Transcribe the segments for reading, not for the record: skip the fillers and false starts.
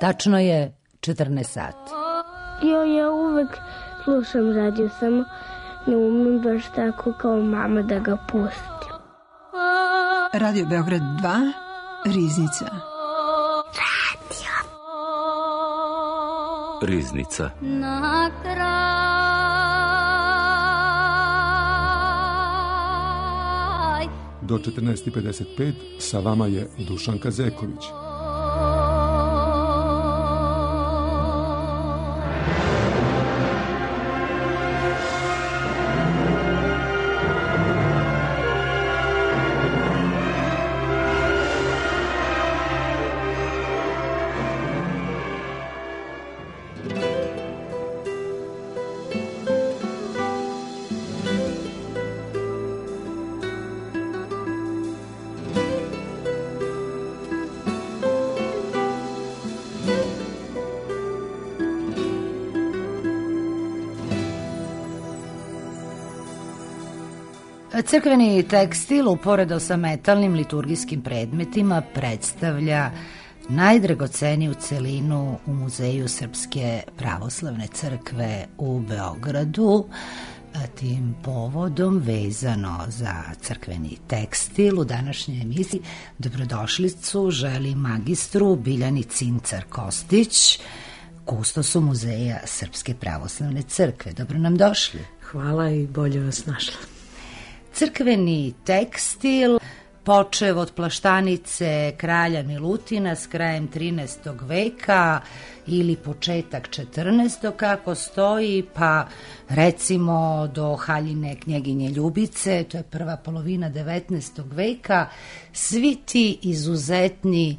Tačno je 14 sati. Ja uvek slušam radio, samo ne umem baš tako kao mama da ga pustim. Radio Beograd 2, Riznica. Riznica. Na kraj. Do 14:55 sa vama je Dušanka Zeković. Crkveni tekstil uporedo sa metalnim liturgijskim predmetima predstavlja najdragoceniju celinu u Muzeju Srpske pravoslavne crkve u Beogradu. Tim povodom, vezano za crkveni tekstil, u današnjoj emisiji dobrodošlicu želi magistru Biljani Cincar-Kostić, kustosu Muzeja Srpske pravoslavne crkve. Dobro nam došli. Hvala i bolje vas našla. Crkveni tekstil, počev od plaštanice kralja Milutina s krajem 13. veka ili početak 14. kako stoji, pa recimo do haljine knjeginje Ljubice, to je prva polovina 19. veka, svi ti izuzetni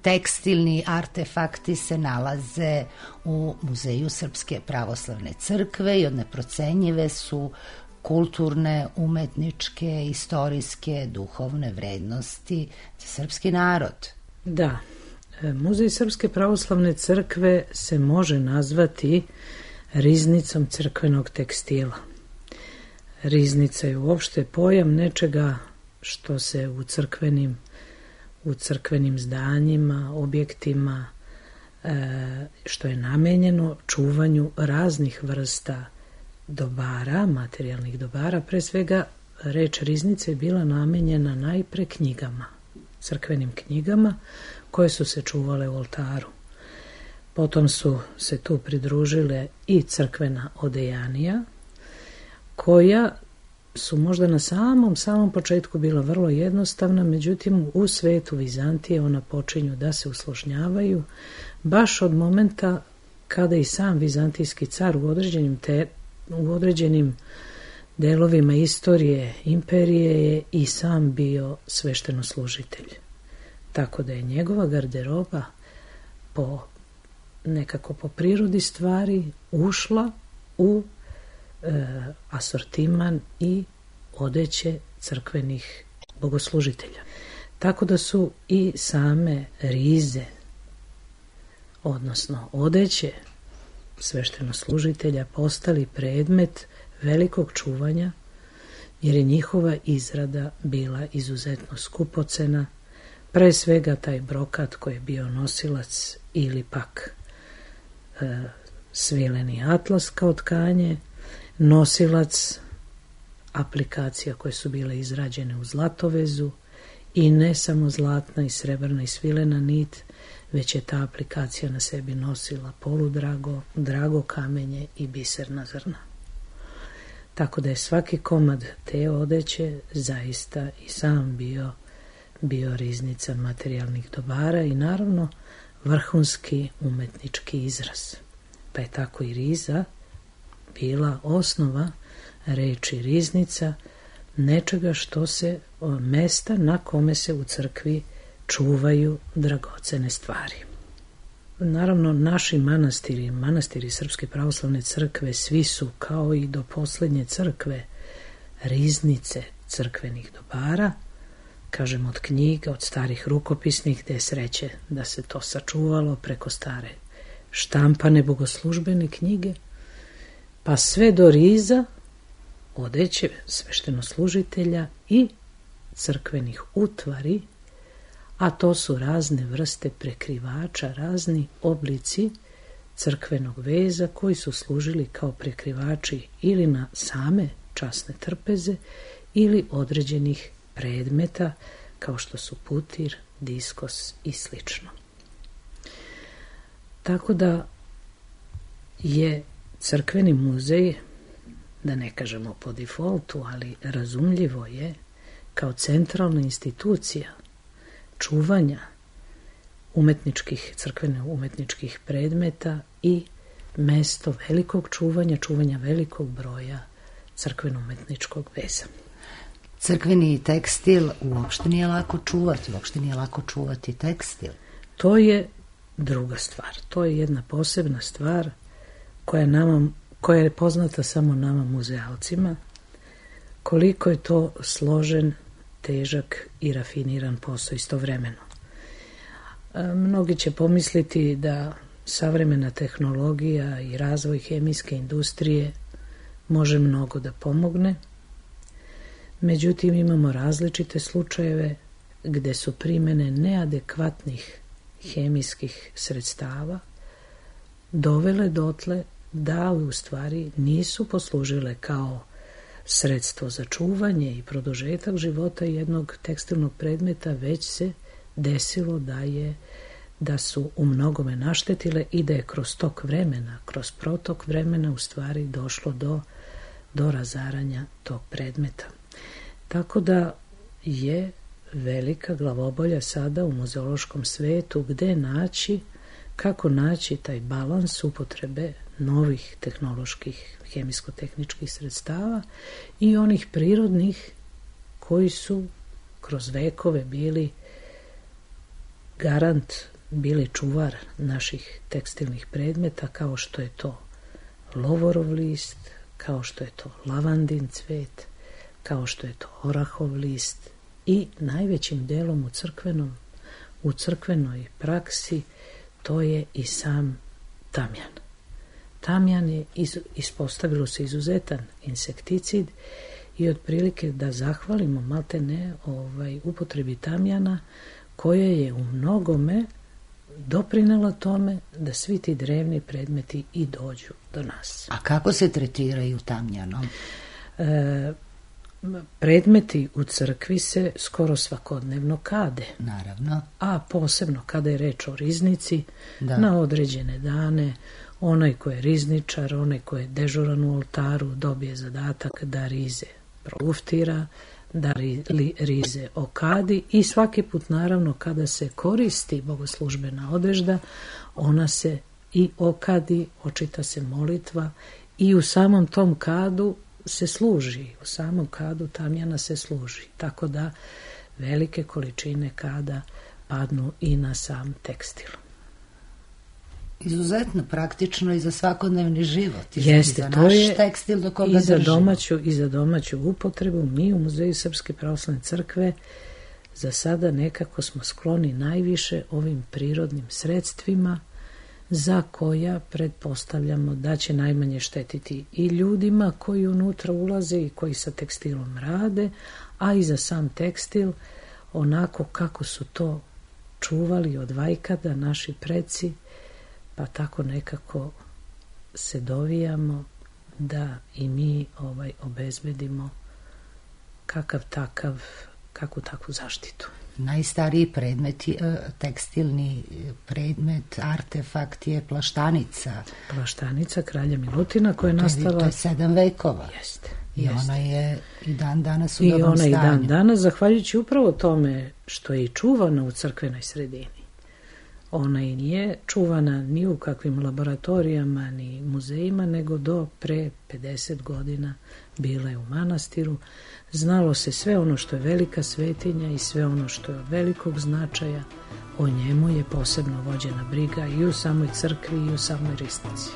tekstilni artefakti se nalaze u Muzeju Srpske pravoslavne crkve i od neprocenjive su kulturne, umetničke, istorijske, duhovne vrednosti za srpski narod. Da, Muzej Srpske pravoslavne crkve se može nazvati riznicom crkvenog tekstila. Riznica je uopšte pojam nečega što se u crkvenim zdanjima, objektima, što je namenjeno čuvanju raznih vrsta dobara, materijalnih dobara. Pre svega reč riznice je bila namenjena najpre knjigama, crkvenim knjigama koje su se čuvale u oltaru. Potom su se tu pridružile i crkvena odejanija, koja su možda na samom početku bila vrlo jednostavna, međutim u svetu Vizantije ona počinju da se usložnjavaju baš od momenta kada i sam vizantijski car u određenim delovima istorije imperije je i sam bio-sveštenoslužitelj. Tako da je njegova garderoba nekako po prirodi stvari ušla u asortiman i odeće crkvenih bogoslužitelja. Tako da su i same rize, odnosno odeće sveštenoslužitelja, postali predmet velikog čuvanja, jer je njihova izrada bila izuzetno skupocena, pre svega taj brokat koji je bio nosilac ili pak svileni atlas kao tkanje, nosilac aplikacija koje su bile izrađene u zlatovezu i ne samo zlatna i srebrna i svilena nit, već je ta aplikacija na sebi nosila poludrago, drago kamenje i biserna zrna. Tako da je svaki komad te odeće zaista i sam bio riznica materijalnih dobara i naravno vrhunski umetnički izraz. Pa je tako i riza bila osnova reči riznica, nečega što se, mesta na kome se u crkvi čuvaju dragocene stvari. Naravno, naši manastiri Srpske pravoslavne crkve, svi su, kao i do poslednje crkve, riznice crkvenih dobara, kažem od knjiga, od starih rukopisnih, gde je sreće da se to sačuvalo preko stare štampane bogoslužbene knjige, pa sve do riza, odeće sveštenoslužitelja i crkvenih utvari, a to su razne vrste prekrivača, razni oblici crkvenog veza koji su služili kao prekrivači ili na same časne trpeze ili određenih predmeta kao što su putir, diskos i slično. Tako da je crkveni muzej, da ne kažemo po defaultu, ali razumljivo je kao centralna institucija čuvanja crkvene umetničkih predmeta i mesto velikog čuvanja velikog broja crkveno-umetničkog veza. Crkveni tekstil uopšte nije lako čuvati, uopšte nije lako čuvati tekstil. To je druga stvar, to je jedna posebna stvar koja je poznata samo nama muzealcima, koliko je to složen, težak i rafiniran posao istovremeno. Mnogi će pomisliti da savremena tehnologija i razvoj hemijske industrije može mnogo da pomogne, međutim imamo različite slučajeve gde su primene neadekvatnih hemijskih sredstava dovele dotle da u stvari nisu poslužile kao sredstvo za čuvanje i produžetak života jednog tekstilnog predmeta, već se desilo da su u mnogome naštetile i da je kroz protok vremena u stvari došlo do razaranja tog predmeta. Tako da je velika glavobolja sada u muzeološkom svetu kako naći taj balans upotrebe novih tehnoloških hemijsko-tehničkih sredstava i onih prirodnih koji su kroz vekove bili garant, bili čuvar naših tekstilnih predmeta, kao što je to lovorov list, kao što je to lavandin cvet, kao što je to orahov list i najvećim delom u crkvenoj praksi to je i sam tamjan. Tamjan je ispostavilo se izuzetan insekticid i otprilike da zahvalimo maltene upotrebi tamjana koja je u mnogome doprinela tome da svi ti drevni predmeti i dođu do nas. A kako se tretiraju tamjanom? Predmeti u crkvi se skoro svakodnevno kade. Naravno. A posebno kada je reč o riznici, na određene dane, onaj ko je rizničar, onaj ko je dežuran u oltaru, dobije zadatak da rize proluftira, da rize okadi i svaki put naravno kada se koristi bogoslužbena odežda, ona se i okadi, očita se molitva i u samom tom kadu se služi, u samom kadu tamjana se služi, tako da velike količine kada padnu i na sam tekstil. Izuzetno praktično i za svakodnevni život. Jeste, za to naš je tekstil do koga držimo. I za domaću upotrebu. Mi u Muzeju Srpske pravoslavne crkve za sada nekako smo skloni najviše ovim prirodnim sredstvima za koja pretpostavljamo da će najmanje štetiti i ljudima koji unutra ulaze i koji sa tekstilom rade, a i za sam tekstil onako kako su to čuvali od vajkada naši preci, pa tako nekako se dovijamo da i mi obezbedimo kakvu takvu zaštitu. Najstariji predmet, tekstilni predmet, artefakt je plaštanica. Plaštanica kralja Milutina koja je nastala... To je 7 vekova. Jeste. I ona je i dan danas u dobrom stanju. I ona i dan danas, zahvaljujući upravo tome što je i čuvana u crkvenoj sredini. Ona i nije čuvana ni u kakvim laboratorijama, ni muzejima, nego do pre 50 godina bila je u manastiru. Znalo se sve ono što je velika svetinja i sve ono što je od velikog značaja. O njemu je posebno vođena briga i u samoj crkvi i u samoj riznici.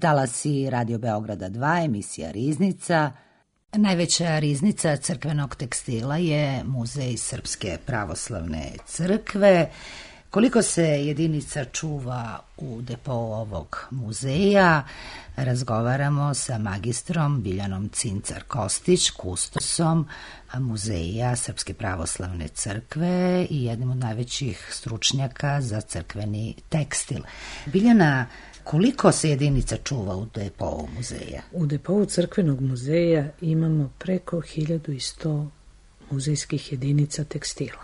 Talasi Radio Beograda 2, emisija Riznica. Najveća riznica crkvenog tekstila je Muzej Srpske pravoslavne crkve. Koliko se jedinica čuva u depou ovog muzeja, razgovaramo sa magistrom Biljanom Cincar-Kostić, kustosom Muzeja Srpske pravoslavne crkve i jednim od najvećih stručnjaka za crkveni tekstil. Biljana, koliko se jedinica čuva u depou muzeja? U depou crkvenog muzeja imamo preko 1100 muzejskih jedinica tekstila.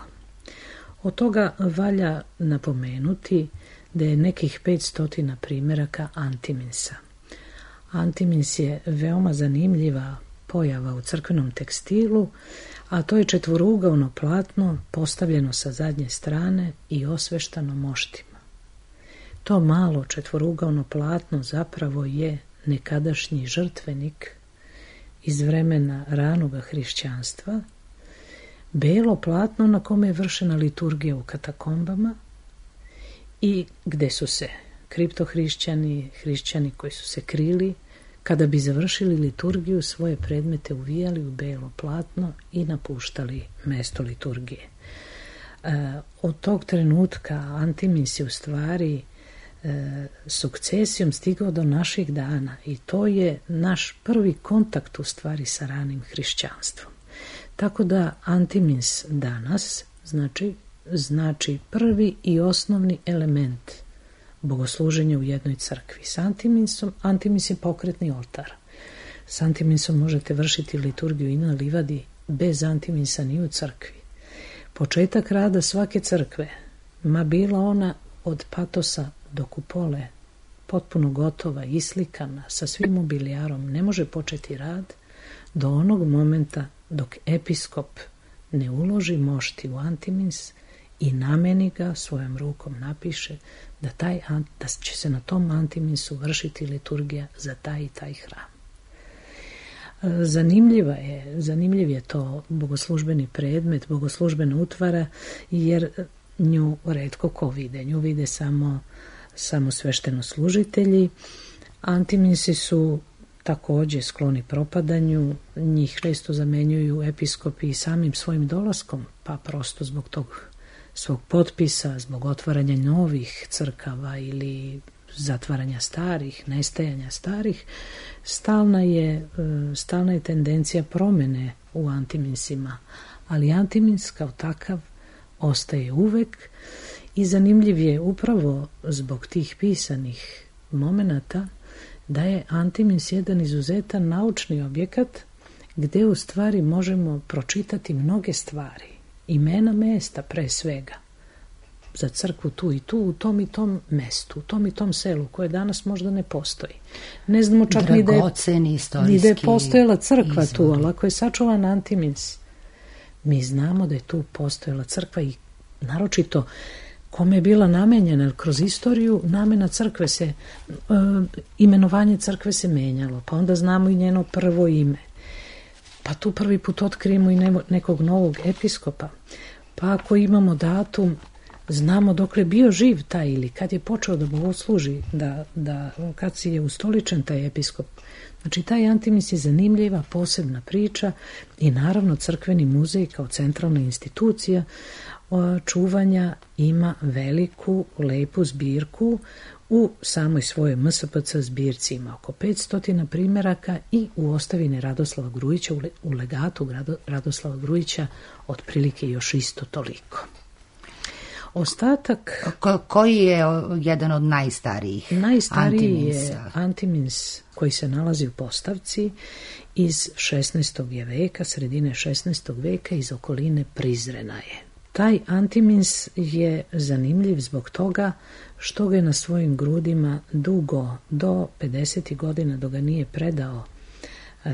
Od toga valja napomenuti da je nekih 500 primjeraka antiminsa. Antimins je veoma zanimljiva pojava u crkvenom tekstilu, a to je četvorougaono platno postavljeno sa zadnje strane i osveštano moštima. To malo četvorougaono platno zapravo je nekadašnji žrtvenik iz vremena ranoga hrišćanstva, belo platno na kome je vršena liturgija u katakombama i gde su se kriptohrišćani, hrišćani koji su se krili, kada bi završili liturgiju, svoje predmete uvijali u belo platno i napuštali mesto liturgije. Od tog trenutka antimins je u stvari sukcesijom stigao do naših dana i to je naš prvi kontakt u stvari sa ranim hrišćanstvom. Tako da antimins danas znači prvi i osnovni element bogosluženja u jednoj crkvi. S antimins je pokretni oltar. S antiminsom možete vršiti liturgiju i na livadi, bez antiminsa ni u crkvi. Početak rada svake crkve, ma bila ona od patosa do kupole, potpuno gotova, islikana, sa svim mobilijarom, ne može početi rad do onog momenta dok episkop ne uloži mošti u antimins i nameni ga, svojom rukom napiše da će se na tom antiminsu vršiti liturgija za taj i taj hram. Zanimljiv je to bogoslužbeni predmet, bogoslužbena utvara, jer nju retko ko vide. Nju vide samo sveštenoslужitelji. Antiminsi su također skloni propadanju, njih često zamenjuju episkopi i samim svojim dolaskom, pa prosto zbog tog svog potpisa, zbog otvaranja novih crkava ili zatvaranja starih, nestajanja starih, stalna je tendencija promjene u antiminsima, ali antimins kao takav ostaje uvek i zanimljiv je upravo zbog tih pisanih momenata da je antimins jedan izuzetan naučni objekat gdje u stvari možemo pročitati mnoge stvari, imena mesta pre svega, za crkvu tu i tu, u tom i tom mestu, u tom i tom selu koje danas možda ne postoji. Ne znamo čak ni da je postojala crkva tu, ali ako je sačuvan antimins, mi znamo da je tu postojala crkva i naročito kome je bila namenjena, jer kroz istoriju namena crkve imenovanje crkve se menjalo, pa onda znamo i njeno prvo ime. Pa tu prvi put otkrijemo i nekog novog episkopa. Pa ako imamo datum, znamo dokle je bio živ taj ili kad je počeo da bogosluži, kad si je ustoličen taj episkop. Znači, taj antimins je zanimljiva, posebna priča i naravno crkveni muzej kao centralna institucija čuvanja ima veliku, lepu zbirku. U samoj svojoj MSPC zbirci ima oko 500 primjeraka i u ostavini Radoslava Grujića, u legatu Radoslava Grujića, otprilike još isto toliko. Ostatak... Koji je jedan od najstarijih antiminsa? Najstariji je antimins koji se nalazi u postavci iz 16. veka, sredine 16. veka, iz okoline Prizrena je. Taj antimins je zanimljiv zbog toga što ga je na svojim grudima dugo, do 50. godina, dok ga nije predao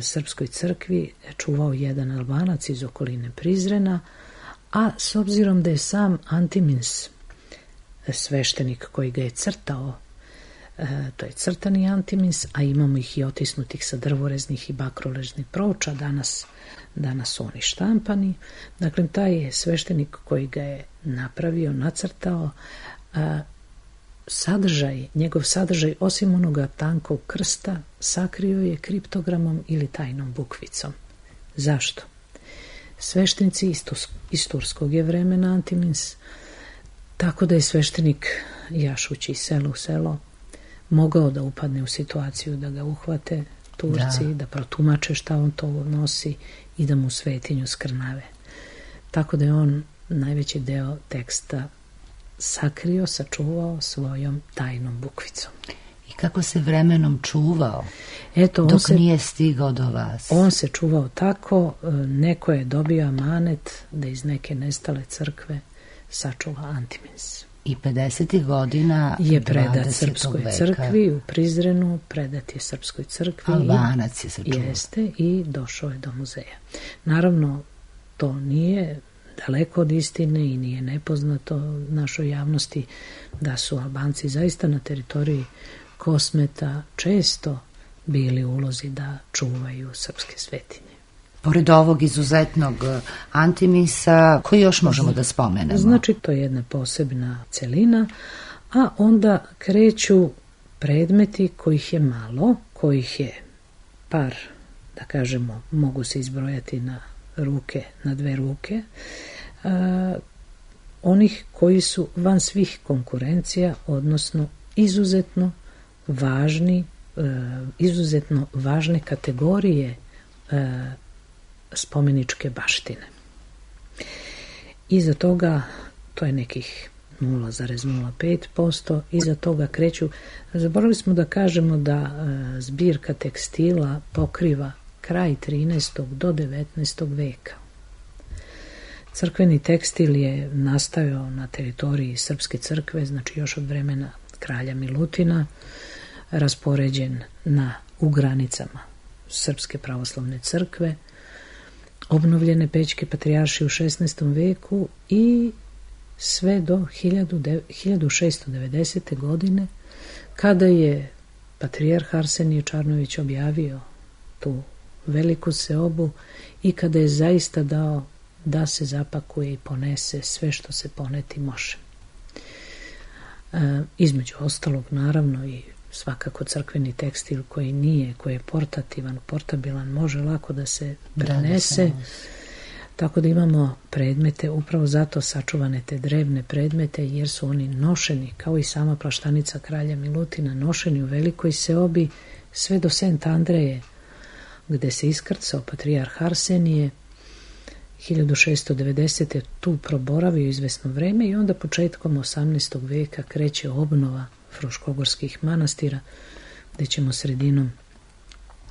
Srpskoj crkvi, čuvao jedan Albanac iz okoline Prizrena, a s obzirom da je sam antimins sveštenik koji ga je crtao, to je crtani antimins, a imamo ih i otisnutih sa drvoreznih i bakroležnih ploča, danas su oni štampani. Dakle, taj je sveštenik koji ga je napravio, nacrtao, njegov sadržaj, osim onoga tankog krsta, sakrio je kriptogramom ili tajnom bukvicom. Zašto? Sveštenici iz turskog je vremena Antimins, tako da je sveštenik, jašući selo u selo, mogao da upadne u situaciju da ga uhvate Turci, da protumače šta on to nosi i da mu svetinju skrnave. Tako da je on najveći deo teksta sakrio, sačuvao svojom tajnom bukvicom. I kako se vremenom čuvao, Eto, nije stigao do vas? On se čuvao tako, neko je dobio amanet da iz neke nestale crkve sačuva Antimins. I 50. godina je predat 20. Srpskoj veka. crkvi u Prizrenu, predat je Srpskoj crkvi. Albanac je sačuvao. Jeste, i došao je do muzeja. Naravno, to nije daleko od istine i nije nepoznato našoj javnosti da su Albanci zaista na teritoriji Kosmeta često bili u ulozi da čuvaju srpske svetinje. Pored ovog izuzetnog Antimisa, koji još možemo da spomenemo? Znači, to je jedna posebna celina, a onda kreću predmeti kojih je malo, kojih je par, da kažemo, mogu se izbrojati na dve ruke, onih koji su van svih konkurencija, odnosno izuzetno važne kategorije spomeničke baštine. Iza toga, to je nekih 0,05%, iza toga kreću, zaboravili smo da kažemo da zbirka tekstila pokriva kraj 13. do 19. veka. Crkveni tekstil je nastajao na teritoriji Srpske crkve, znači još od vremena kralja Milutina, raspoređen u granicama Srpske pravoslavne crkve, obnovljene Pećke patrijaršije u 16. veku i sve do 1690. godine, kada je patrijarh Arsenije Čarnović objavio tu veliku seobu i kada je zaista dao da se zapakuje i ponese sve što se poneti može. Između ostalog, naravno, i svakako crkveni tekstil koji je portabilan, može lako da se prenese. Tako da imamo predmete, upravo zato sačuvane te drevne predmete, jer su oni nošeni, kao i sama plaštanica kralja Milutina, nošeni u velikoj seobi sve do Sent Andreje, gde se iskrcao patrijarh Arsenije. 1690. tu proboravio izvesno vreme i onda početkom 18. veka kreće obnova fruškogorskih manastira, gde ćemo sredinom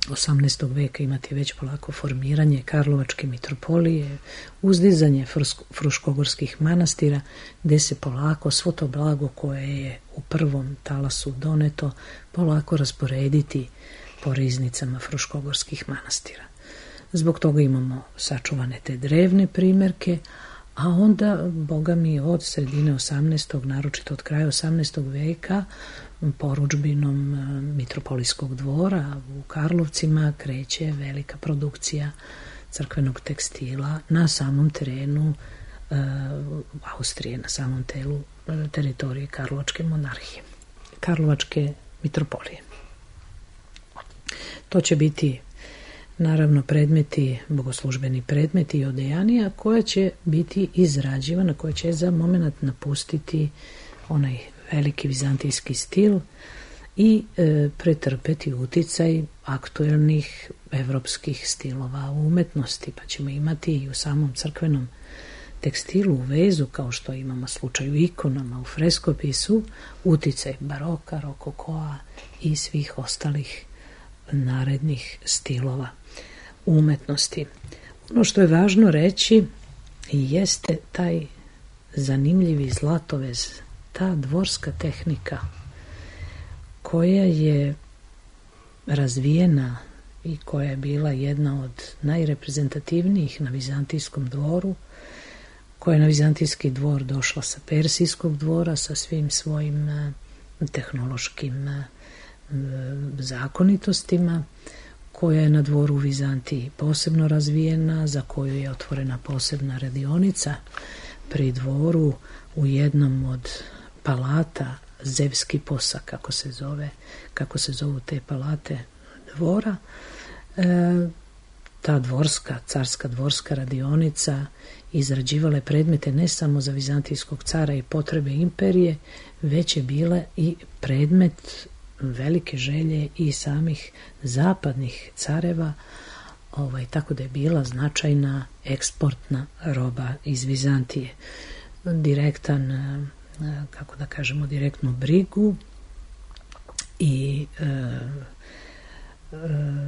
18. veka imati već polako formiranje Karlovačke mitropolije, uzdizanje fruškogorskih manastira, gde se polako svo to blago koje je u prvom talasu doneto polako rasporediti po riznicama fruškogorskih manastira. Zbog toga imamo sačuvane te drevne primerke, a onda, boga mi, od sredine 18. naročito od kraja 18. veka, porudžbinom mitropolijskog dvora u Karlovcima kreće velika produkcija crkvenog tekstila na samom terenu Austrije, na samom teritoriji Karlovačke monarhije, Karlovačke mitropolije. To će biti naravno predmeti, bogoslužbeni predmeti i odejanija koja će biti izrađivana, koja će za moment napustiti onaj veliki vizantijski stil i pretrpeti uticaj aktuelnih evropskih stilova u umetnosti, pa ćemo imati i u samom crkvenom tekstilu u vezu, kao što imamo slučaj u ikonama, u freskopisu, uticaj baroka, rokokoa i svih ostalih narednih stilova umetnosti. Ono što je važno reći jeste taj zanimljivi zlatovez, ta dvorska tehnika koja je razvijena i koja je bila jedna od najreprezentativnijih na vizantijskom dvoru, koja je na vizantijski dvor došla sa persijskog dvora, sa svim svojim tehnološkim zakonitostima, koja je na dvoru u Vizantiji posebno razvijena, za koju je otvorena posebna radionica pri dvoru u jednom od palata Zevski Posa, kako se zovu te palate dvora. Ta carska dvorska radionica izrađivala je predmete ne samo za vizantijskog cara i potrebe imperije, već je bila i predmet velike želje i samih zapadnih careva, tako da je bila značajna eksportna roba iz Vizantije. Direktnu brigu i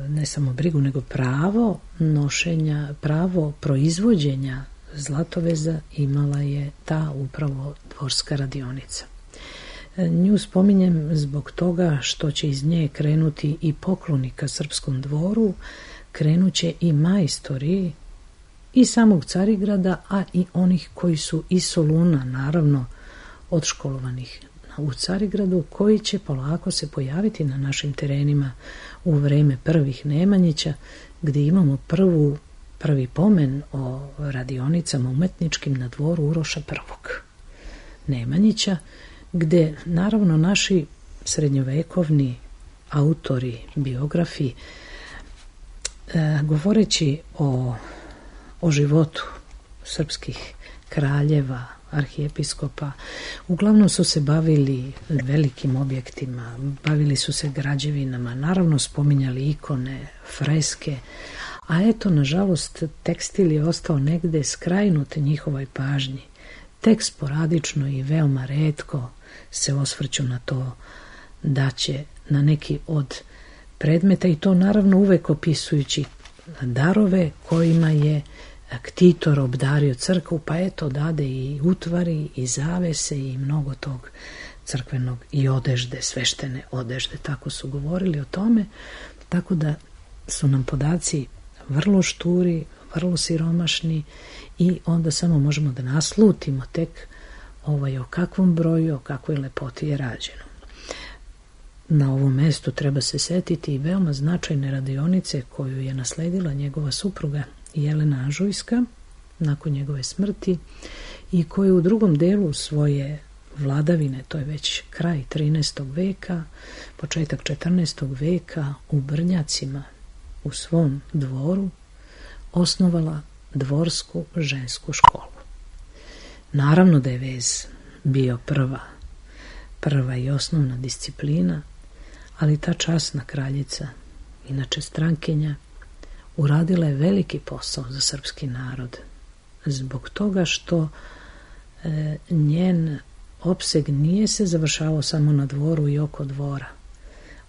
ne samo brigu, nego pravo nošenja, pravo proizvođenja zlatoveza imala je ta upravo dvorska radionica. Nju spominjem zbog toga što će iz nje krenuti i poklonika srpskom dvoru, krenuće i majstori i samog Carigrada, a i onih koji su iz Soluna, naravno odškolovanih u Carigradu, koji će polako se pojaviti na našim terenima u vreme prvih Nemanjića, gdje imamo prvi pomen o radionicama umetničkim na dvoru Uroša I. Nemanjića, gdje naravno naši srednjovekovni autori, biografi, govoreći o životu srpskih kraljeva, arhijepiskopa, uglavnom su se bavili velikim objektima, bavili su se građevinama, naravno spominjali ikone, freske, a eto, nažalost, tekstil je ostao negde skrajnut njihovoj pažnji. Tek sporadično i veoma retko se osvrću na to da će na neki od predmeta, i to naravno uvek opisujući darove kojima je ktitor obdario crkvu, pa eto dade i utvari i zavese i mnogo tog crkvenog i odežde, sveštene odežde, tako su govorili o tome, tako da su nam podaci vrlo šturi, vrlo siromašni i onda samo možemo da naslutimo tek o kakvom broju, o kakvoj lepoti je rađeno. Na ovom mestu treba se setiti i veoma značajne radionice koju je nasledila njegova supruga Jelena Anžujska nakon njegove smrti i koju u drugom delu svoje vladavine, to je već kraj 13. veka, početak 14. veka, u Brnjacima, u svom dvoru, osnovala dvorsku žensku školu. Naravno da je vez bio prva i osnovna disciplina, ali ta časna kraljica, inače strankinja, uradila je veliki posao za srpski narod, zbog toga što njen opseg nije se završavao samo na dvoru i oko dvora.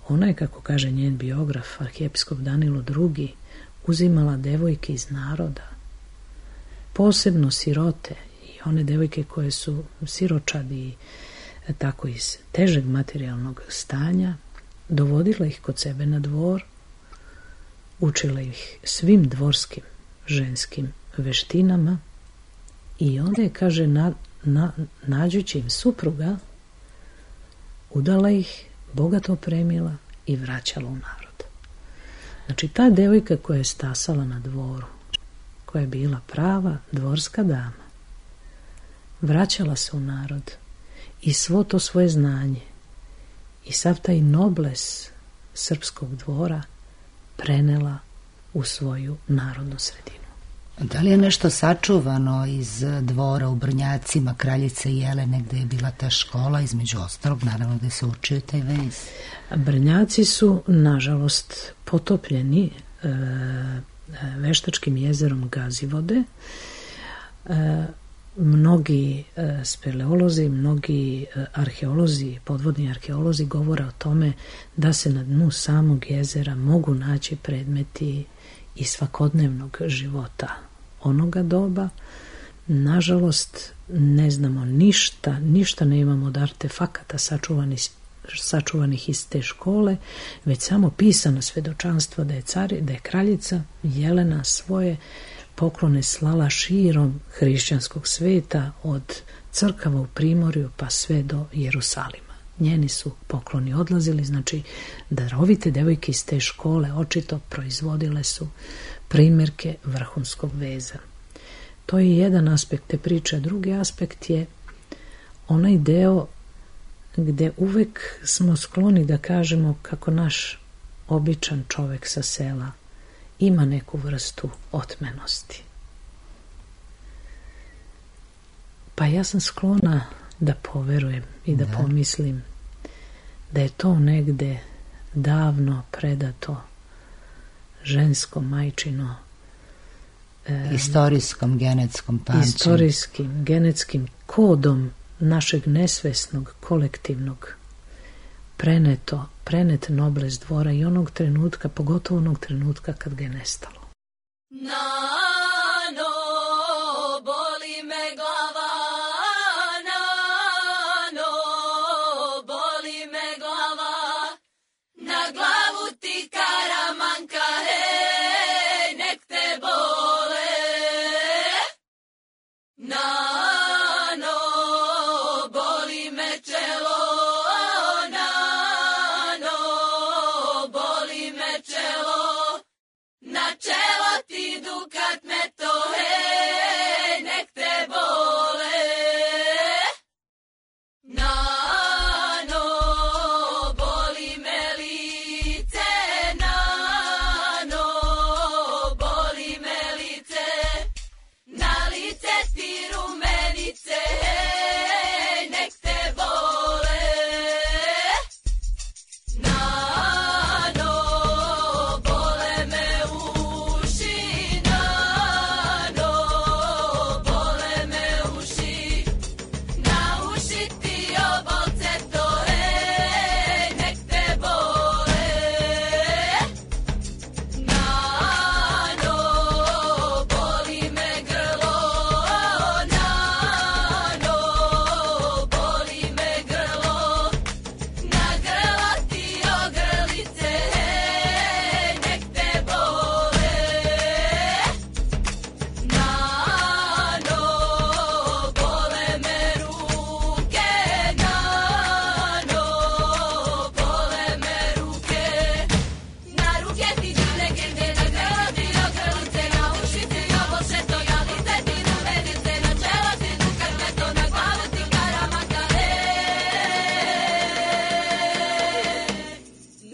Ona je, kako kaže njen biograf, arhijepiskop Danilo II, uzimala devojke iz naroda, posebno sirote i one devojke koje su siročadi, tako iz težeg materijalnog stanja, dovodila ih kod sebe na dvor, učila ih svim dvorskim ženskim veštinama i onda je, kaže, nađući im supruga, udala ih, bogato opremila i vraćala u narod. Znači, ta devojka koja je stasala na dvoru, koja je bila prava dvorska dama, vraćala se u narod i svo to svoje znanje i sav taj nobles srpskog dvora prenela u svoju narodnu sredinu. Da li je nešto sačuvano iz dvora u Brnjacima kraljice Jelene, gde je bila ta škola, između ostalog, naravno gde se učio taj vez? Brnjaci su, nažalost, potopljeni veštačkim jezerom Gazivode. Mnogi speleolozi, mnogi arheolozi, podvodni arheolozi govore o tome da se na dnu samog jezera mogu naći predmeti i svakodnevnog života onoga doba. Nažalost, ne znamo ništa ne imamo od artefakata sačuvanih iz te škole, već samo pisana svedočanstva da je kraljica Jelena svoje poklone slala širom hrišćanskog sveta, od crkava u Primorju pa sve do Jerusalima. Njeni su pokloni odlazili, znači darovite devojke iz te škole očito proizvodile su primjerke vrhunskog veza. To je jedan aspekt te priče. Drugi aspekt je onaj deo gdje uvek smo skloni da kažemo kako naš običan čovjek sa sela ima neku vrstu otmenosti. Pa ja sam sklona da poverujem i da pomislim da je to negde davno predato žensko majčino istorijskom genetskom pamćenju, istorijskim genetskim kodom našeg nesvesnog kolektivnog prenet noblest dvora i onog trenutka, pogotovo onog trenutka kad ga je nestalo. Nano, boli me glava, nano, boli me glava, na glavu ti karamanka, hej, nek te bole. Nano, boli me čelo, nano, boli me čelo, na čelo ti dukat me to, hej, nek te bole. Nano, boli me lice, nano, boli me lice, na lice ti rumenice, hej, nek te bole. Nano, bole me uši, nano, bole me uši, na uši ti obolce to, hej, nek te bole. Nano, boli me grlo, nano, boli me grlo, na grlo ti ogrlice, hej, nek te bole. Nano, bole me ruke, nano, bole me ruke, na ruke ti dane gende, na grlo ti ogrlice, na uši ti obolše to, na lice ti rumenice, na čelo ti dukat me to, na glavu ti karamanka,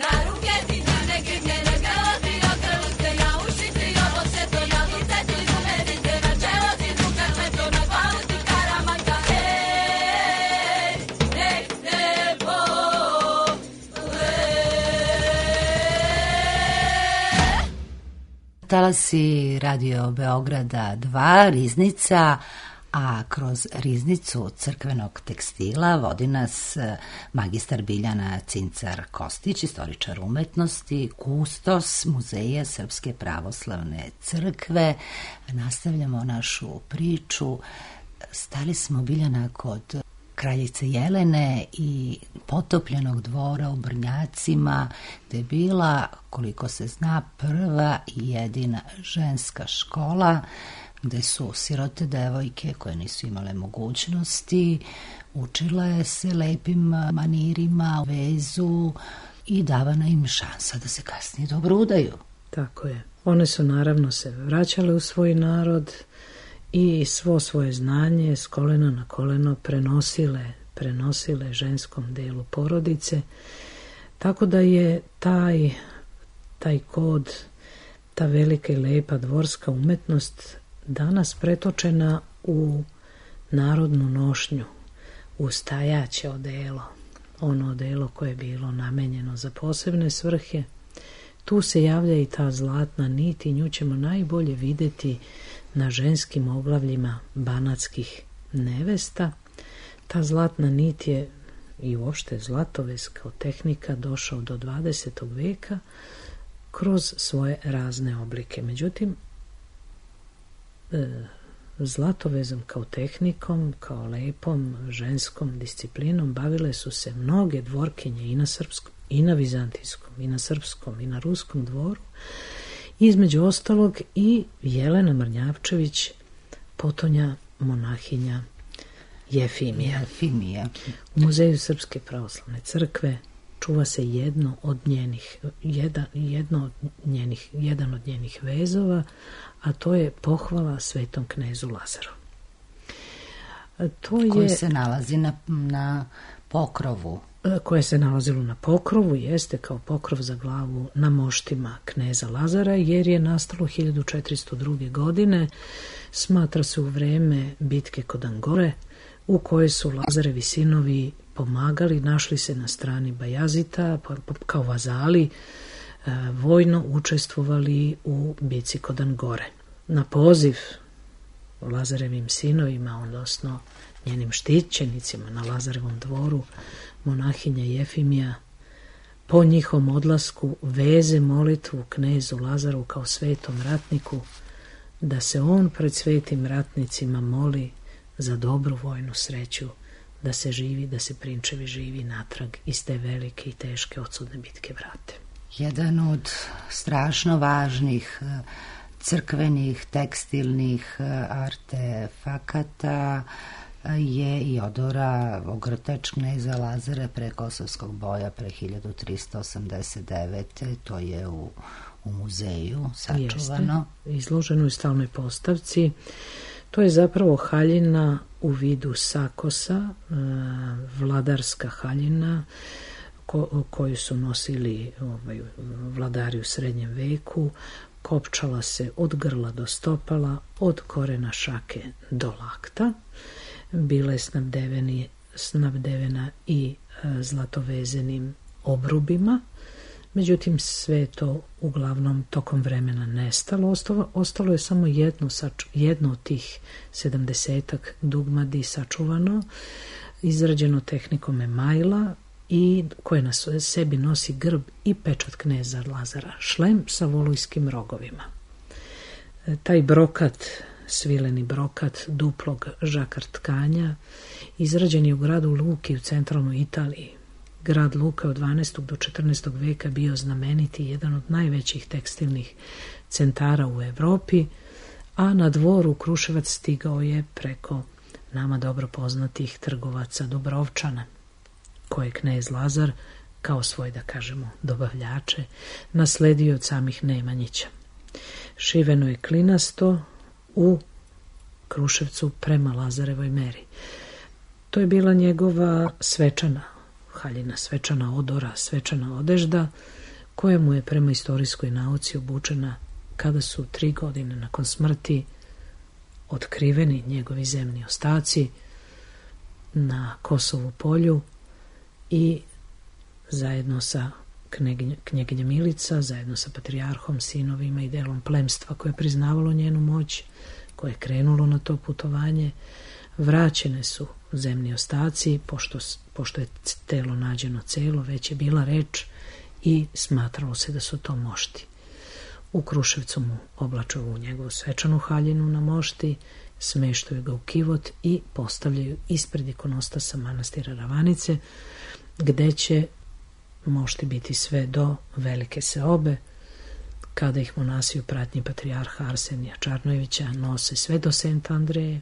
na ruke ti dane gende, na grlo ti ogrlice, na uši ti obolše to, na lice ti rumenice, na čelo ti dukat me to, na glavu ti karamanka, nek te bole. Talasi Radio Beograda 2, Riznica, a kroz Riznicu crkvenog tekstila vodi nas magistar Biljana Cincar-Kostić, istoričar umetnosti, kustos Muzeja Srpske pravoslavne crkve. Nastavljamo našu priču. Stali smo, Biljana, kod kraljice Jelene i potopljenog dvora u Brnjacima, gde je bila, koliko se zna, prva i jedina ženska škola, gde su sirote devojke koje nisu imale mogućnosti učile se lepim manirima, vezu i davana im šansa da se kasnije dobro udaju. Tako je. One su naravno se vraćale u svoj narod i svo svoje znanje s kolena na koleno prenosile ženskom delu porodice, tako da je taj kod, ta velika i lepa dvorska umetnost danas pretočena u narodnu nošnju, u stajaće odelo, ono odelo koje je bilo namenjeno za posebne svrhe. Tu se javlja i ta zlatna nit i nju ćemo najbolje vidjeti na ženskim oglavljima banatskih nevesta. Ta zlatna nit je i uopšte zlatovez kao tehnika došao do 20. veka kroz svoje razne oblike. Međutim, zlatovezom kao tehnikom, kao lepom ženskom disciplinom bavile su se mnoge dvorkinje i na srpskom, i na vizantijskom, i na srpskom, i na ruskom dvoru. Između ostalog i Jelena Mrnjavčević, potonja monahinja Jefimija. U Muzeju Srpske pravoslavne crkve čuva se jedan od njenih vezova, a to je pohvala svetom knezu Lazaru. Koji se nalazi na pokrovu. Koje se nalazilo na pokrovu, jeste kao pokrov za glavu na moštima kneza Lazara, jer je nastalo 1402. godine, smatra se u vreme bitke kod Angore, u kojoj su Lazarevi sinovi pomagali, našli se na strani Bajazita, kao vazali, vojno učestvovali u bici kod Angore. Na poziv Lazarevim sinovima, odnosno njenim štićenicima na Lazarevom dvoru, monahinja Jefimija po njihovom odlasku veze molitvu knezu Lazaru kao svetom ratniku, da se on pred svetim ratnicima moli za dobru vojnu sreću, da se živi, da se prinčevi živi natrag iz te velike i teške odsudne bitke vrate. Jedan od strašno važnih crkvenih, tekstilnih artefakata je i odora ogrtač kneza Lazara pre Kosovskog boja pre 1389. To je u muzeju sačuvano. Jeste, izloženo u stalnoj postavci. To je zapravo haljina u vidu sakosa, vladarska haljina koju su nosili vladari u srednjem veku. Kopčala se od grla do stopala, od korena šake do lakta. Bila je snabdevena i zlatovezenim obrubima. Međutim, sve to uglavnom tokom vremena nestalo. Ostalo je samo jedno od tih 70-ak dugmadi sačuvano, izrađeno tehnikom emajla i koje na sebi nosi grb i pečat kneza Lazara, šlem sa volujskim rogovima. Taj brokat, svileni brokat duplog žakar tkanja, izrađen je u gradu Luki u centralnoj Italiji. Grad Luka od 12. do 14. veka bio znameniti, jedan od najvećih tekstilnih centara u Evropi, a na dvoru Kruševac stigao je preko nama dobro poznatih trgovaca Dubrovčana, koje knez Lazar, kao svoj, da kažemo, dobavljače, nasledio od samih Nemanjića. Šiveno je klinasto u Kruševcu prema Lazarevoj meri. To je bila njegova svečana haljina, svečana odora, svečana odežda, koja mu je prema istorijskoj nauci obučena kada su 3 godine nakon smrti otkriveni njegovi zemni ostaci na Kosovu polju i zajedno sa knjeginjem Milica, zajedno sa patrijarhom, sinovima i delom plemstva koje je priznavalo njenu moć, koje je krenulo na to putovanje, vraćene su zemni ostaci, pošto je telo nađeno celo, već je bila reč i smatralo se da su to mošti. U Kruševcu mu oblaču u njegovu svečanu haljinu na mošti, smeštaju ga u kivot i postavljaju ispred ikonostasa manastira Ravanice, gde će mošti biti sve do velike seobe, kada ih monasi u pratnji patrijarha Arsenija Čarnojevića nose sve do Sent Andreje,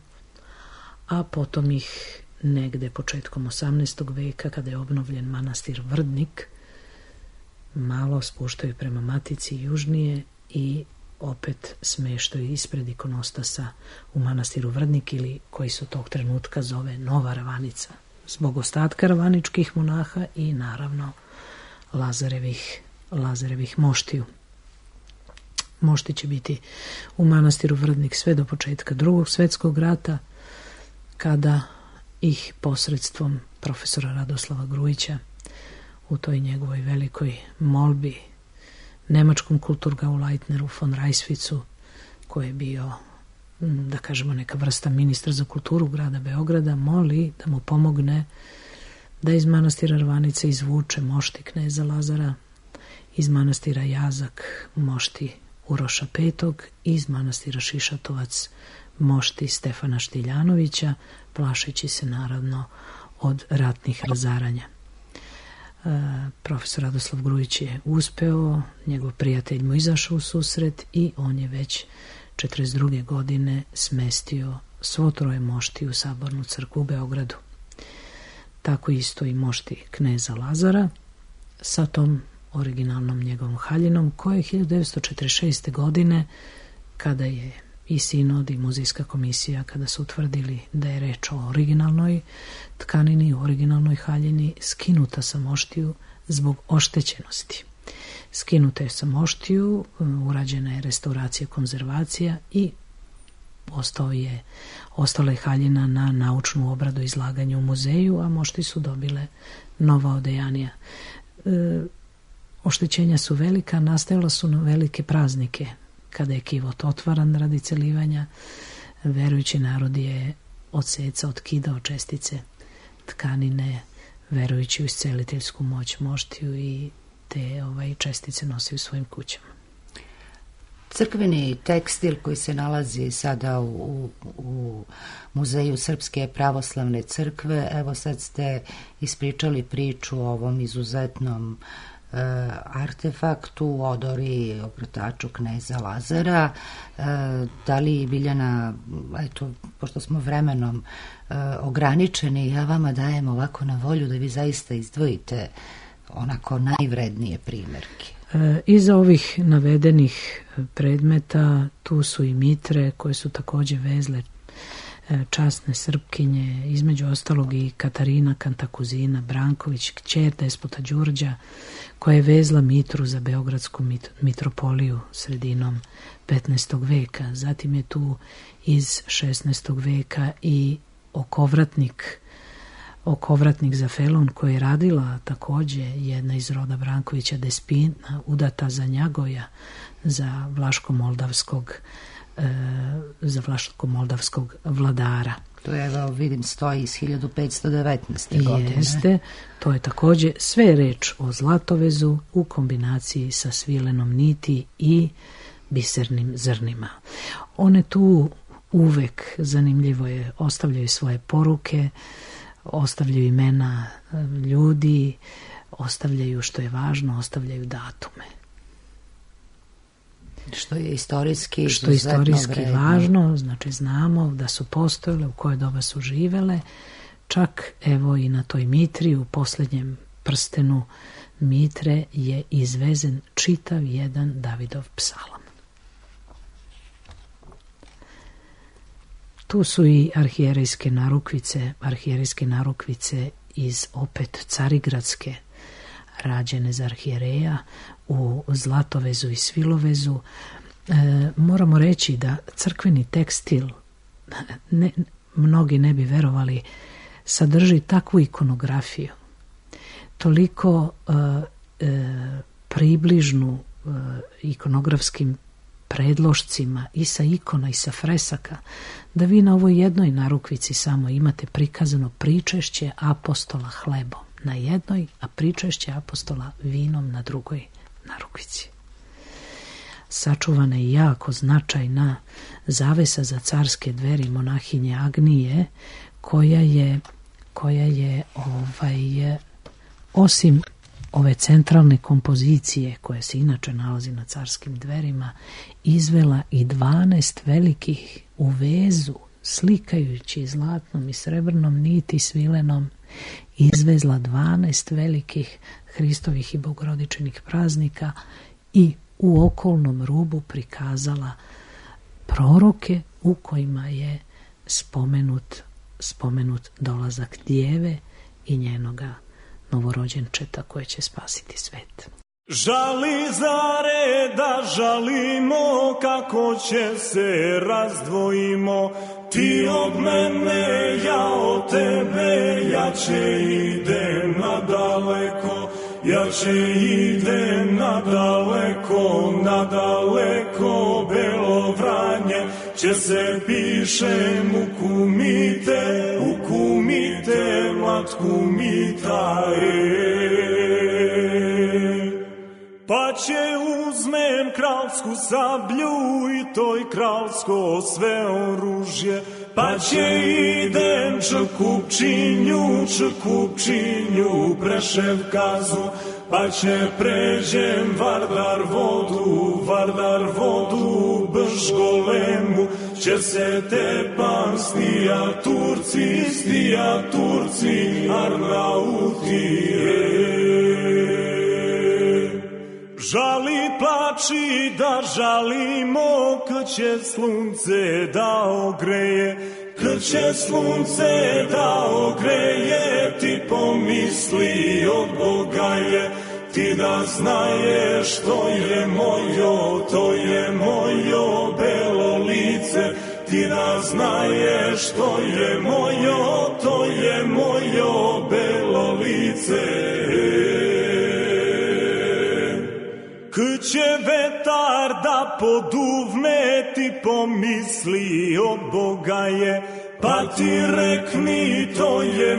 a potom ih negde početkom 18. veka, kada je obnovljen manastir Vrdnik, malo spuštaju prema Matici južnije i opet smeštaju ispred ikonostasa u manastiru Vrdnik, ili koji se tog trenutka zove Nova Ravanica, zbog ostatka ravaničkih monaha i naravno Lazarevih moštiju. Mošti će biti u manastiru Vrdnik sve do početka Drugog svjetskog rata, kada ih posredstvom profesora Radoslava Grujića u toj njegovoj velikoj molbi nemačkom Kulturgauleitneru von Reiswitzu, koji je bio, da kažemo, neka vrsta ministra za kulturu grada Beograda, moli da mu pomogne da iz manastira Ravanice izvuče mošti kneza Lazara, iz manastira Jazak mošti Uroša V, iz manastira Šišatovac mošti Stefana Štiljanovića, plašeći se naravno od ratnih razaranja. Profesor Radoslav Grujić je uspeo, njegov prijatelj mu izašao u susret i on je već 42. godine smestio svo 3 mošti u Sabornu crkvu u Beogradu. Tako isto i mošti kneza Lazara sa tom originalnom njegovom haljinom, koja je 1946. godine, kada je i sinod i muzejska komisija kada su utvrdili da je reč o originalnoj tkanini, o originalnoj haljini, skinuta sa moštiju zbog oštećenosti. Skinuta je sa moštiju, urađena je restauracija, konzervacija i ostala je haljina na naučnu obradu, izlaganje u muzeju, a mošti su dobile nova odejanija. Oštećenja su velika, nastajala su na velike praznike, kada je kivot otvaran radi celivanja. Verujući narod je otkidao čestice tkanine, verujući u isceliteljsku moć moštiju, i te čestice nosi u svojim kućama. Crkveni tekstil koji se nalazi sada u Muzeju Srpske pravoslavne crkve, evo sad ste ispričali priču o ovom izuzetnom artefaktu, odori ogrtaču kneza Lazara. Da li, Biljana, eto, pošto smo vremenom ograničeni, ja vama dajem ovako na volju da vi zaista izdvojite onako najvrednije primjerke. Iza ovih navedenih predmeta tu su i mitre koje su također vezle časne Srpkinje, između ostalog i Katarina Kantakuzina Branković, kćer despota Đurđa, koja je vezla mitru za Beogradsku mitropoliju sredinom 15. veka. Zatim je tu iz 16. veka i okovratnik za felon koji je radila također jedna iz roda Brankovića Despina, udata za Njagoja, za vlaško-moldavskog vladara. To je, evo, vidim, stoji iz 1519. godine. Jeste, to je također sve reč o zlatovezu u kombinaciji sa svilenom niti i bisernim zrnima. One tu uvek, zanimljivo je, ostavljaju svoje poruke, ostavljaju imena ljudi, ostavljaju, što je važno, ostavljaju datume. Što je istorijski važno, znači znamo da su postojale, u koje doba su živele, čak evo i na toj mitri, u posljednjem prstenu mitre je izvezen čitav jedan Davidov psalam. Tu su i arhijerejske narukvice iz opet Carigradske, rađene za arhijereja u zlatovezu i svilovezu. Moramo reći da crkveni tekstil, mnogi ne bi verovali, sadrži takvu ikonografiju, toliko približnu ikonografskim predlošcima i sa ikona i sa fresaka, da vi na ovoj jednoj narukvici samo imate prikazano pričešće apostola hlebom na jednoj, a pričešće apostola vinom na drugoj narukvici. Sačuvana je jako značajna zavesa za carske dveri monahinje Agnije, koja je osim ove centralne kompozicije koje se inače nalazi na carskim dverima, izvela i 12 velikih u vezu, slikajući zlatnom i srebrnom niti svilenom, izvezla 12 velikih Hristovih i Bogorodičinih praznika i u okolnom rubu prikazala proroke u kojima je spomenut dolazak djeve i njenoga novorođenčeta koje će spasiti svet. Žali zare da žalimo, kako će se razdvojimo, ti od mene, ja od tebe, jače idem nadaleko, jače idem nadaleko, nadaleko, Belo Vranje, će se pišem u kumite, matku mita, pa će uzmem kralsku sablju i toj kralsko sve oružje, pa će idem Čekupčinju, Prešev kazu, pa će pređem Vardar vodu, Bržgolemu, će se tepan stija Turci, Arnauti, žali plač plači da žalimo, kad će sunce da ogreje, kad će sunce da ogreje, ti pomisli od Boga je, ti da znaješ to je mojo, to je mojo belo lice, ti da znaješ to je mojo, to je mojo belo lice. Kad će vetar da poduvne, ti pomisli od Boga je, pa ti rekni to je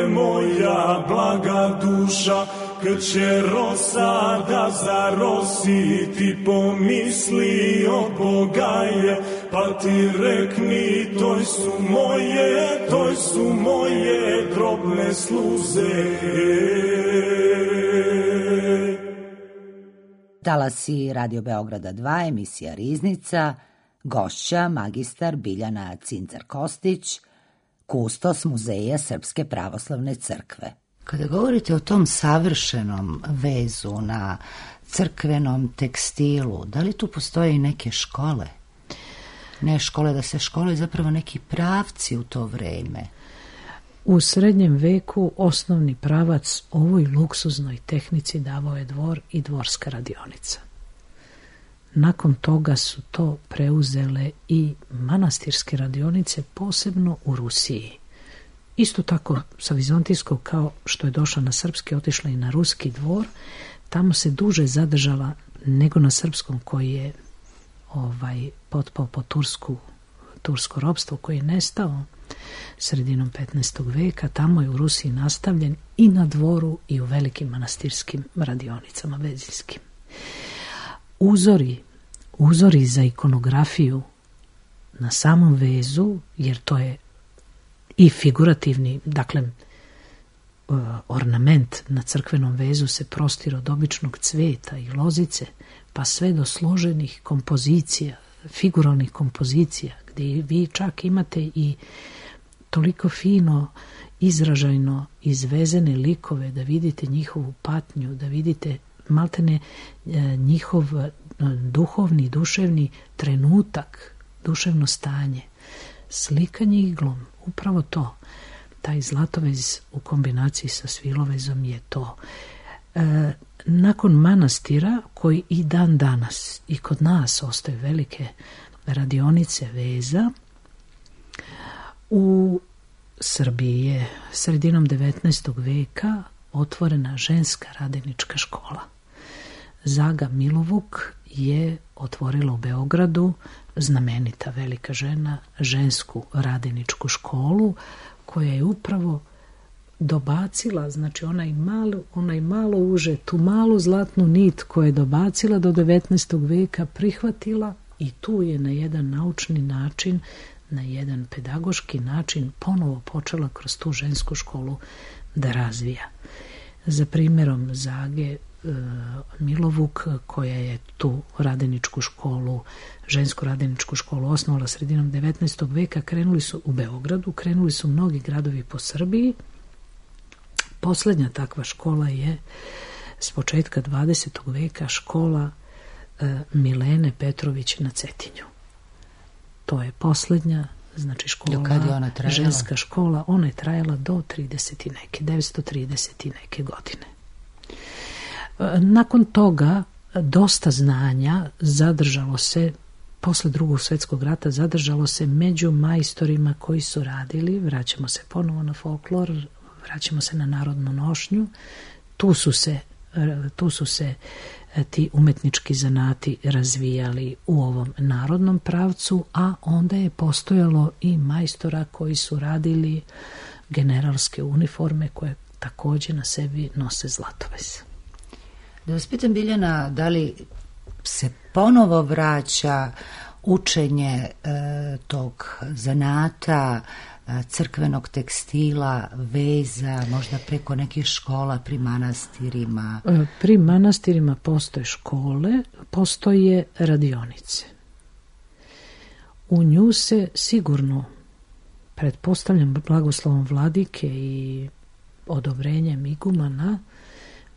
moja blaga duša. Kad će rosa da zarosi, ti pomisli od Boga je, pa ti rekni to su moje drobne sluze. Talasi Radio Beograda 2, emisija Riznica, gošća magistar Biljana Cincar-Kostić, kustos Muzeja Srpske pravoslavne crkve. Kada govorite o tom savršenom vezu na crkvenom tekstilu, da li tu postoje i neke škole? Ne škole da se škole, zapravo neki pravci u to vreme. U srednjem veku osnovni pravac ovoj luksuznoj tehnici davao je dvor i dvorska radionica. Nakon toga su to preuzele i manastirske radionice, posebno u Rusiji. Isto tako sa vizantijskog, kao što je došla na srpski, otišla i na ruski dvor. Tamo se duže zadržala nego na srpskom, koji je potpao po tursko ropstvo, koji je nestao sredinom 15. veka. Tamo je u Rusiji nastavljen i na dvoru i u velikim manastirskim radionicama vezinskim. Uzori za ikonografiju na samom vezu, jer to je i figurativni, dakle, ornament na crkvenom vezu se prostire od običnog cveta i lozice, pa sve do složenih kompozicija, figuralnih kompozicija, gdje vi čak imate i toliko fino, izražajno izvezene likove, da vidite njihovu patnju, da vidite maltene njihov duhovni, duševni trenutak, duševno stanje. Slikanje iglom, upravo to. Taj zlatovez u kombinaciji sa svilovezom je to. Nakon manastira, koji i dan danas i kod nas ostaju velike radionice veza, u Srbiji je sredinom 19. veka otvorena ženska radenička škola. Zaga Milovuk je otvorila u Beogradu, znamenita velika žena, žensku radeničku školu, koja je upravo dobacila, znači onaj malo uže, tu malu zlatnu nit koju je dobacila do 19. veka, prihvatila i tu je na jedan naučni način, na jedan pedagoški način ponovo počela kroz tu žensku školu da razvija. Za primjerom Zage Milovuk, koja je tu radeničku školu, žensku radeničku školu osnovala sredinom 19. veka, krenuli su u Beogradu, krenuli su mnogi gradovi po Srbiji. Posljednja takva škola je s početka 20. veka škola Milene Petrović na Cetinju. To je posljednja, znači škola, ženska škola, ona je trajala do 930 i neke godine. Nakon toga dosta znanja zadržalo se, posle Drugog svjetskog rata, zadržalo se među majstorima koji su radili, vraćamo se ponovo na folklor, vraćamo se na narodnu nošnju, tu su se ti umetnički zanati razvijali u ovom narodnom pravcu, a onda je postojalo i majstora koji su radili generalske uniforme koje također na sebi nose zlatovez. Da vas pitam, Biljana, da li se ponovo vraća učenje tog zanata, crkvenog tekstila, veza, možda preko nekih škola pri manastirima? Pri manastirima postoje škole, postoje radionice. U nju se sigurno, pretpostavljam blagoslovom vladike i odobrenjem igumana,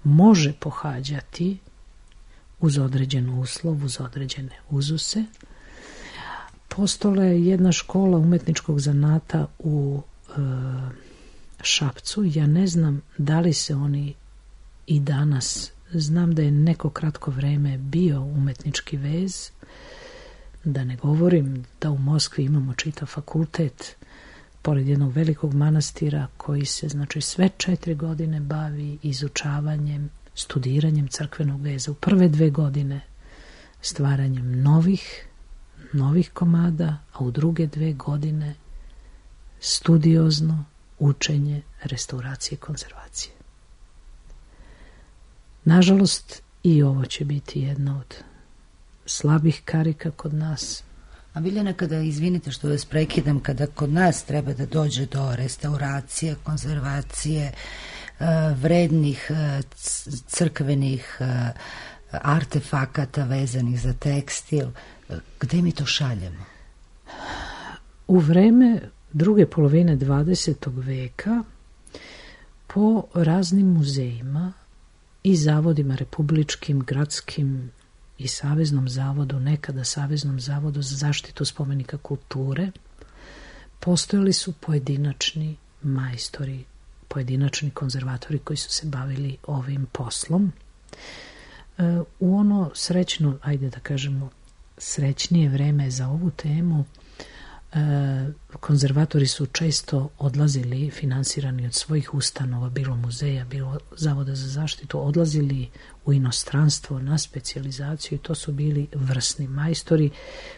može pohađati uz određen uslov, uz određene uzuse. Postojala je jedna škola umetničkog zanata u Šapcu. Ja ne znam da li se oni i danas, znam da je neko kratko vreme bio umetnički vez, da ne govorim da u Moskvi imamo čitav fakultet pored jednog velikog manastira koji se, znači, sve 4 godine bavi izučavanjem, studiranjem crkvenog veza. U prve 2 godine stvaranjem novih komada, a u druge 2 godine studiozno učenje restauracije i konzervacije. Nažalost, i ovo će biti jedna od slabih karika kod nas. A Biljana, izvinite što vas prekidam, kada kod nas treba da dođe do restauracije, konzervacije, vrednih crkvenih artefakata vezanih za tekstil, gde mi to šaljemo? U vreme druge polovine 20. veka po raznim muzejima i zavodima republičkim, gradskim i Saveznom zavodu, nekada Saveznom zavodu za zaštitu spomenika kulture, postojali su pojedinačni majstori, pojedinačni konzervatori koji su se bavili ovim poslom. U ono srećno, ajde da kažemo, srećnije vreme za ovu temu, konzervatori su često odlazili, finansirani od svojih ustanova, bilo muzeja, bilo Zavoda za zaštitu, odlazili u inostranstvo na specijalizaciju i to su bili vrsni majstori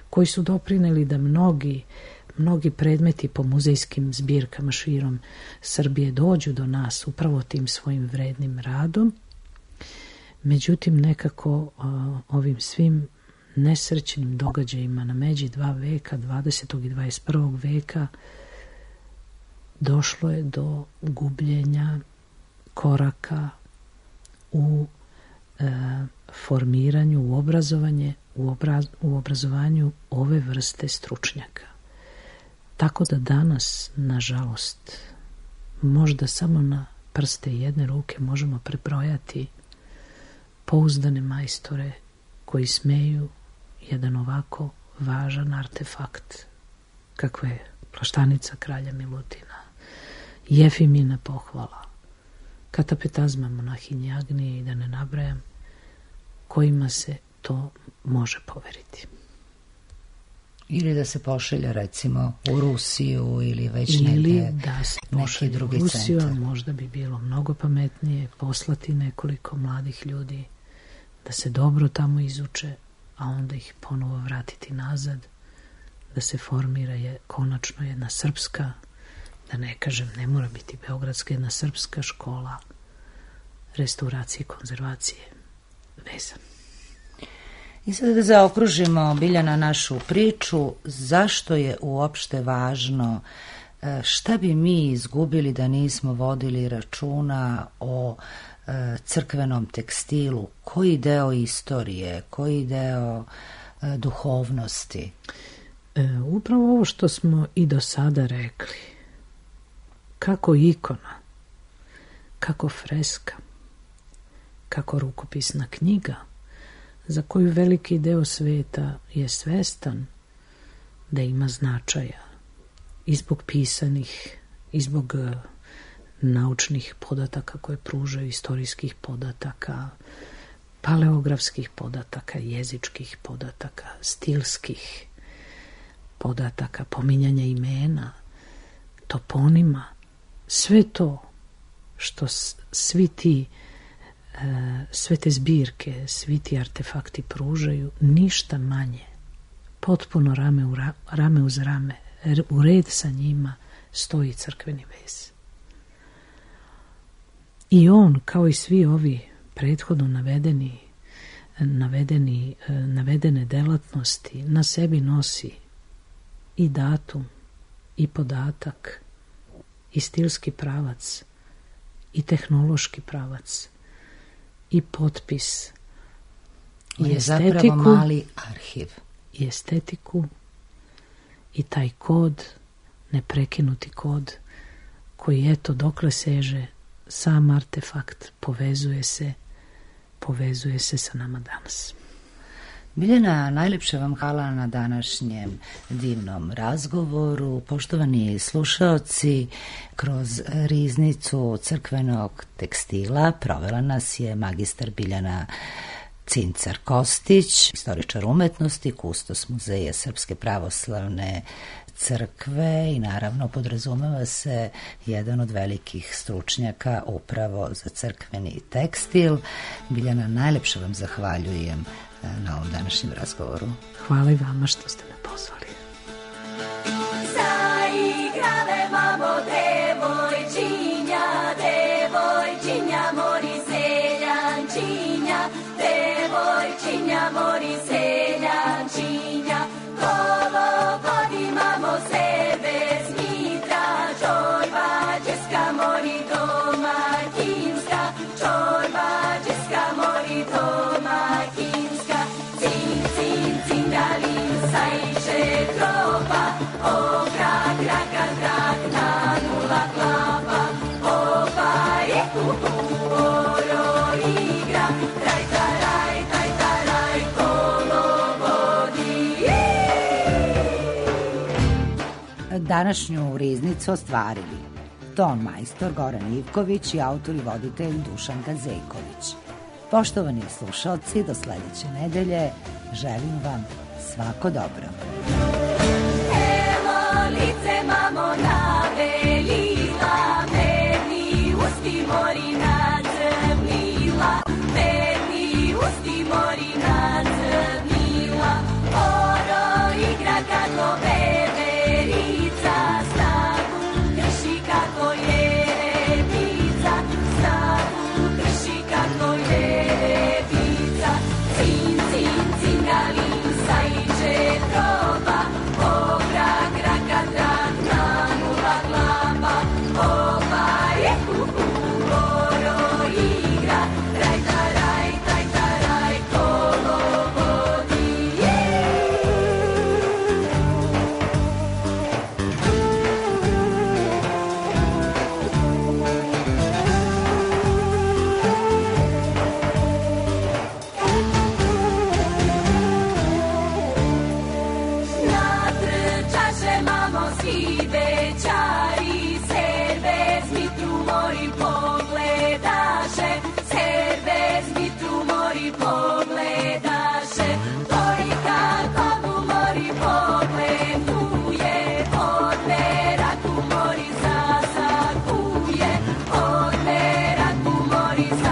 koji su doprineli da mnogi predmeti po muzejskim zbirkama širom Srbije dođu do nas upravo tim svojim vrednim radom. Međutim, nekako ovim svim nesrećnim događajima na međi 2 veka, 20. i 21. veka, došlo je do gubljenja koraka u formiranju, u obrazovanju ove vrste stručnjaka. Tako da danas, nažalost, možda samo na prste jedne ruke možemo prebrojati pouzdane majstore koji smeju jedan ovako važan artefakt kakva je plaštanica kralja Milutina, Jefimina pohvala, katapetazma monahinje Agnije i da ne nabrajam, kojima se to može poveriti. Ili da se pošalja recimo u Rusiju ili već negdje da se neki drugi u Rusiju, centar. Možda bi bilo mnogo pametnije poslati nekoliko mladih ljudi da se dobro tamo izuče, a onda ih ponovo vratiti nazad, da se formira konačno jedna srpska, da ne kažem, ne mora biti beogradska, jedna srpska škola restauracije i konzervacije veza. I sad da zaokružimo, Biljana, našu priču, zašto je uopšte važno, šta bi mi izgubili da nismo vodili računa o crkvenom tekstilu, koji deo istorije, koji deo duhovnosti? Upravo ovo što smo i do sada rekli, kako ikona, kako freska, kako rukopisna knjiga, za koju veliki deo sveta je svestan da ima značaja i zbog pisanih, i zbog naučnih podataka koje pružaju, istorijskih podataka, paleografskih podataka, jezičkih podataka, stilskih podataka, pominjanja imena, toponima, sve to što sve te zbirke, svi ti artefakti pružaju, ništa manje, potpuno rame uz rame, u red sa njima stoji crkveni vez. I on, kao i svi ovi prethodno navedene delatnosti, na sebi nosi i datum, i podatak, i stilski pravac, i tehnološki pravac, i potpis, i estetiku, zapravo mali arhiv. I estetiku, i taj kod, neprekinuti kod, koji eto dokle seže sam artefakt, povezuje se povezuje se sa nama danas. Biljana, najlepše vam hvala na današnjem divnom razgovoru. Poštovani slušaoci, kroz riznicu crkvenog tekstila provela nas je magistar Biljana Cincar-Kostić, istoričar umetnosti, kustos Muzeja Srpske pravoslavne crkve i naravno podrazumeva se jedan od velikih stručnjaka upravo za crkveni tekstil. Biljana, najlepše vam zahvaljujem na ovom današnjem razgovoru. Hvala i vama što ste me pozvali. Zaigrale mamo devojčinja, devojčinja mori seljančinja, devojčinja mori seljančinja, kolo vodi mamo sebe smitra, čorba česka mori domaćinska, čorba česka mori domaćinska, cin, cin, cingalin, sajše tropa, o krak, krak, krak, na nula klapa, opa je kuku, oro igra, taj, taraj, taj, taraj, kolo vodi. Današnju riznicu ostvarili ton majstor Goran Ivković i autor i voditelj Dušan Gazejković. Poštovani slušalci, do sledeće nedelje želim vam svako dobro. Evo lice mamo navelila, medni usti mori nacrnila, medni usti mori nacrnila, oro igra kako veverica, snagu krši kako je repica, snagu krši kako je repica, cin, cin, cingalin, sajče proba, o krak, krak, krak, na nula klapa, opa je kuku, oro igra, raj, taraj, taj, taraj, kolo vodi. Natrčaše mamo svi bećari, servez mitru mori pogledaše, servez mitru mori pogledaše, dvojka komu mori pogleduje, od meraku mori zasakuje, od meraku mori zasakuje.